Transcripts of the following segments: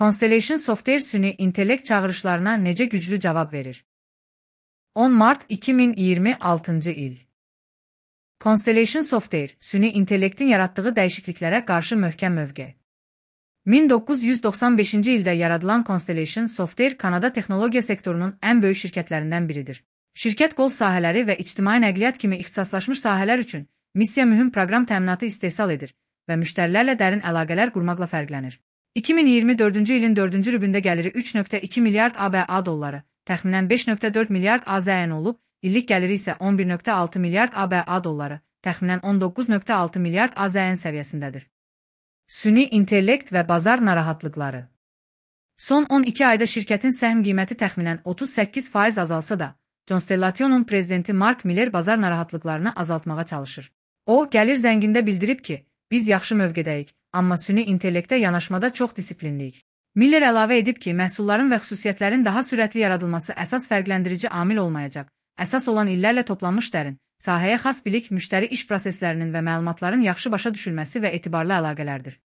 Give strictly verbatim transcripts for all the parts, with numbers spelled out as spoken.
Constellation Software süni intellekt çağrışlarına necə güclü cavab verir? on Mart iki min iyirmi altıncı il. Constellation Software, süni intellektin yarattığı dəyişikliklərə qarşı möhkəm mövqe. min doqquz yüz doxsan beşinci ildə yaradılan Constellation Software Kanada texnologiya sektorunun ən böyük şirkətlərindən biridir. Şirkət qol sahələri və ictimai nəqliyyat kimi ixtisaslaşmış sahələr üçün missiya mühüm proqram təminatı istehsal edir və müştərilərlə dərin əlaqələr qurmaqla fərqlənir. iki min iyirmi dördüncü ilin dördüncü rübündə gəliri üç nöqtə iki milyard ABA dolları, təxminən beş nöqtə dörd milyard AZN olub, illik gəliri isə on bir nöqtə altı milyard ABA dolları, təxminən on doqquz nöqtə altı milyard AZN səviyyəsindədir. Süni intellekt və bazar narahatlıqları. Son on iki ayda şirkətin səhm qiyməti təxminən otuz səkkiz faiz azalsa da, Constellation'un prezidenti Mark Miller bazar narahatlıqlarını azaltmağa çalışır. O, gəlir zəngində bildirib ki, biz yaxşı mövqedəyik, amma süni intellektə yanaşmada çox disiplinliyik. Miller əlavə edib ki, məhsulların və xüsusiyyətlərin daha sürətli yaradılması əsas fərqləndirici amil olmayacaq. Əsas olan illərlə toplanmış dərin, sahəyə xas bilik, müştəri iş proseslərinin və məlumatların yaxşı başa düşülməsi və etibarlı əlaqələrdir.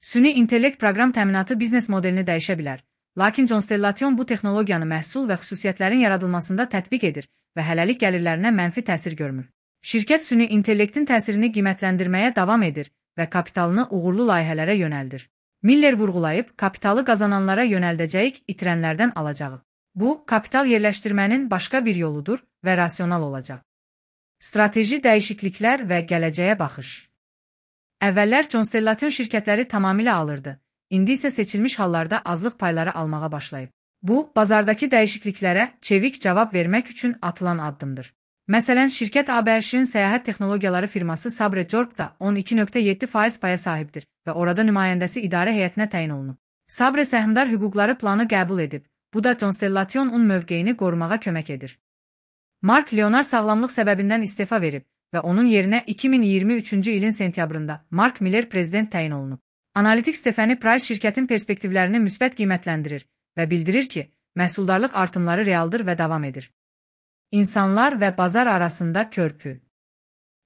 Süni intellekt proqram təminatı biznes modelini dəyişə bilər, lakin Constellation bu texnologiyanı məhsul və xüsusiyyətlərin yaradılmasında tətbiq edir və hələlik gəlirlərinə mənfi təsir görmür. Şirkət süni intellektin təsirini qiymətləndirməyə davam edir və kapitalını uğurlu layihələrə yönəldir. Miller vurğulayıb, kapitalı qazananlara yönəldəcəyik, itirənlərdən alacağı. Bu, kapital yerləşdirmənin başqa bir yoludur və rasional olacaq. Strateji dəyişikliklər və gələcəyə baxış. Əvvəllər Constellation şirkətləri tamamilə alırdı, indi isə seçilmiş hallarda azlıq payları almağa başlayıb. Bu, bazardakı dəyişikliklərə çevik cavab vermək üçün atılan addımdır. Məsələn, şirkət A B Ş-in səyahət texnologiyaları firması Sabre Corp-da on iki nöqtə yeddi faiz paya sahibdir və orada nümayəndəsi idarə heyətinə təyin olunub. Sabre səhmdar hüquqları planı qəbul edib, bu da Constellation'un mövqeyini qorumağa kömək edir. Mark Leonard sağlamlıq səbəbindən istefa verib və onun yerinə iki min iyirmi üçüncü ilin sentyabrında Mark Miller prezident təyin olunub. Analitik Stephanie Price şirkətin perspektivlərini müsbət qiymətləndirir və bildirir ki, məhsuldarlıq artımları realdır və davam edir. İnsanlar və bazar arasında körpü.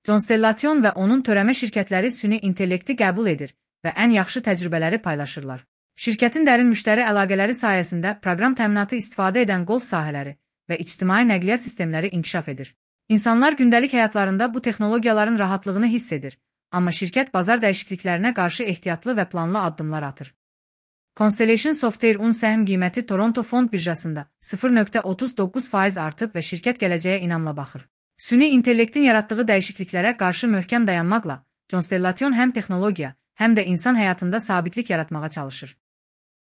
Constellation və onun törəmə şirkətləri süni intellekti qəbul edir və ən yaxşı təcrübələri paylaşırlar. Şirkətin dərin müştəri əlaqələri sayəsində proqram təminatı istifadə edən qol sahələri və ictimai nəqliyyat sistemləri inkişaf edir. İnsanlar gündəlik həyatlarında bu texnologiyaların rahatlığını hiss edir, amma şirkət bazar dəyişikliklərinə qarşı ehtiyatlı və planlı addımlar atır. Constellation Software-un səhm qiyməti Toronto Fond birjasında sıfır nöqtə otuz doqquz faiz artıb və şirkət gələcəyə inamla baxır. Süni intellektin yaratdığı dəyişikliklərə qarşı möhkəm dayanmaqla, Constellation həm texnologiya, həm də insan həyatında sabitlik yaratmağa çalışır.